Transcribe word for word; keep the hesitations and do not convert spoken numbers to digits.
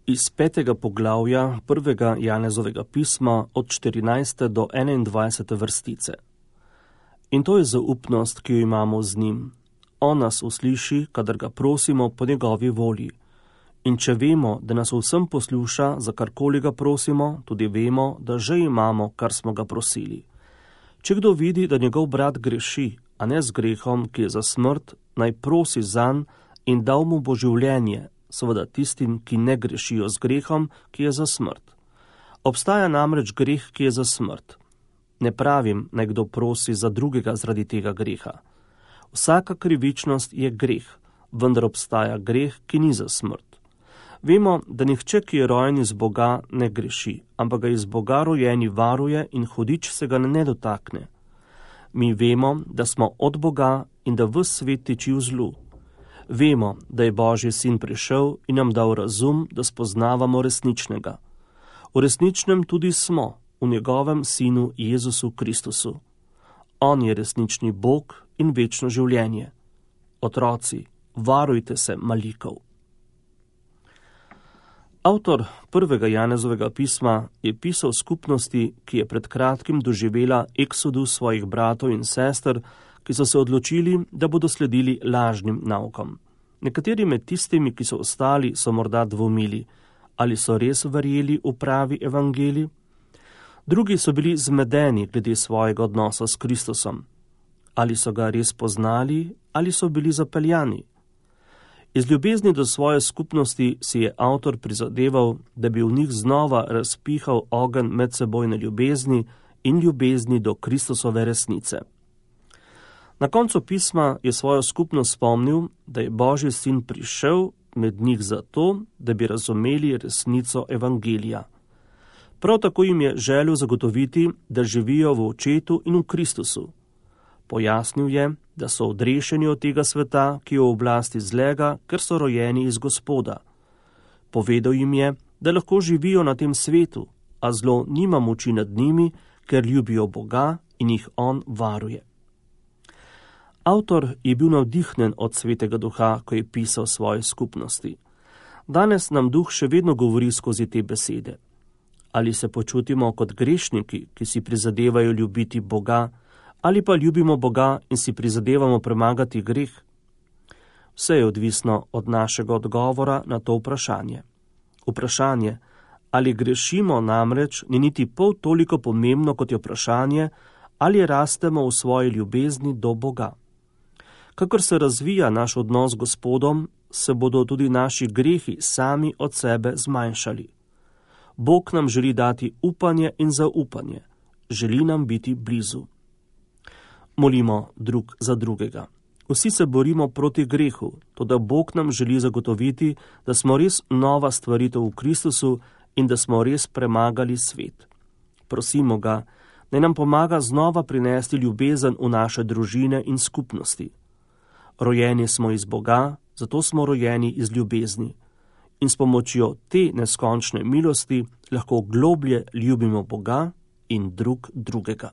Iz petega poglavja prvega Janezovega pisma od štirinajste do enaindvajsete vrstice. In to je zaupnost, ki jo imamo z njim. On nas usliši, kadar ga prosimo po njegovi volji. In če vemo, da nas vsem posluša, za karkoli ga prosimo, tudi vemo, da že imamo, kar smo ga prosili. Če kdo vidi, da njegov brat greši, a ne z grehom, ki je za smrt, naj prosi zanj in dal mu bo življenje, seveda tistim, ki ne grešijo z grehom, ki je za smrt. Obstaja namreč greh, ki je za smrt. Ne pravim, naj kdo prosi za drugega zaradi tega greha. Vsaka krivičnost je greh, vendar obstaja greh, ki ni za smrt. Vemo, da nihče, ki je rojen iz Boga, ne greši, ampak ga iz Boga rojeni varuje in hudič se ga ne dotakne. Mi vemo, da smo od Boga in da ves svet tiči v zlu. Vemo, da je Božji sin prišel in nam dal razum, da spoznavamo resničnega. V resničnem tudi smo, v njegovem sinu Jezusu Kristusu. On je resnični Bog in večno življenje. Otroci, varujte se malikov. Avtor prvega Janezovega pisma je pisal skupnosti, ki je pred kratkim doživela eksodus svojih bratov in sester, ki so se odločili, da bodo sledili lažnim naukom. Nekateri med tistimi, ki so ostali, so morda dvomili, ali so res verjeli v pravi evangelij. Drugi so bili zmedeni glede svojega odnosa s Kristusom. Ali so ga res poznali, ali so bili zapeljani. Iz ljubezni do svoje skupnosti si je avtor prizadeval, da bi v njih znova razpihal ogenj medsebojne ljubezni in ljubezni do Kristusove resnice. Na koncu pisma je svojo skupnost spomnil, da je Božji sin prišel med njih zato, da bi razumeli resnico evangelija. Prav tako jim je želel zagotoviti, da živijo v očetu in v Kristusu. Pojasnil je, da so odrešeni od tega sveta, ki je v oblasti zlega, ker so rojeni iz Gospoda. Povedal jim je, da lahko živijo na tem svetu, a zlo nima moči nad njimi, ker ljubijo Boga in jih on varuje. Avtor je bil navdihnen od Svetega Duha, ko je pisal svoje skupnosti. Danes nam Duh še vedno govori skozi te besede. Ali se počutimo kot grešniki, ki si prizadevajo ljubiti Boga, ali pa ljubimo Boga in si prizadevamo premagati greh? Vse je odvisno od našega odgovora na to vprašanje. Vprašanje, ali grešimo, namreč ni niti pol toliko pomembno, kot je vprašanje, ali rastemo v svoji ljubezni do Boga. Kakor se razvija naš odnos z Gospodom, se bodo tudi naši grehi sami od sebe zmanjšali. Bog nam želi dati upanje in zaupanje. Želi nam biti blizu. Molimo drug za drugega. Vsi se borimo proti grehu, toda Bog nam želi zagotoviti, da smo res nova stvaritev v Kristusu in da smo res premagali svet. Prosimo ga, naj nam pomaga znova prinesti ljubezen v naše družine in skupnosti. Rojeni smo iz Boga, zato smo rojeni iz ljubezni. In s pomočjo te neskončne milosti lahko globlje ljubimo Boga in drug drugega.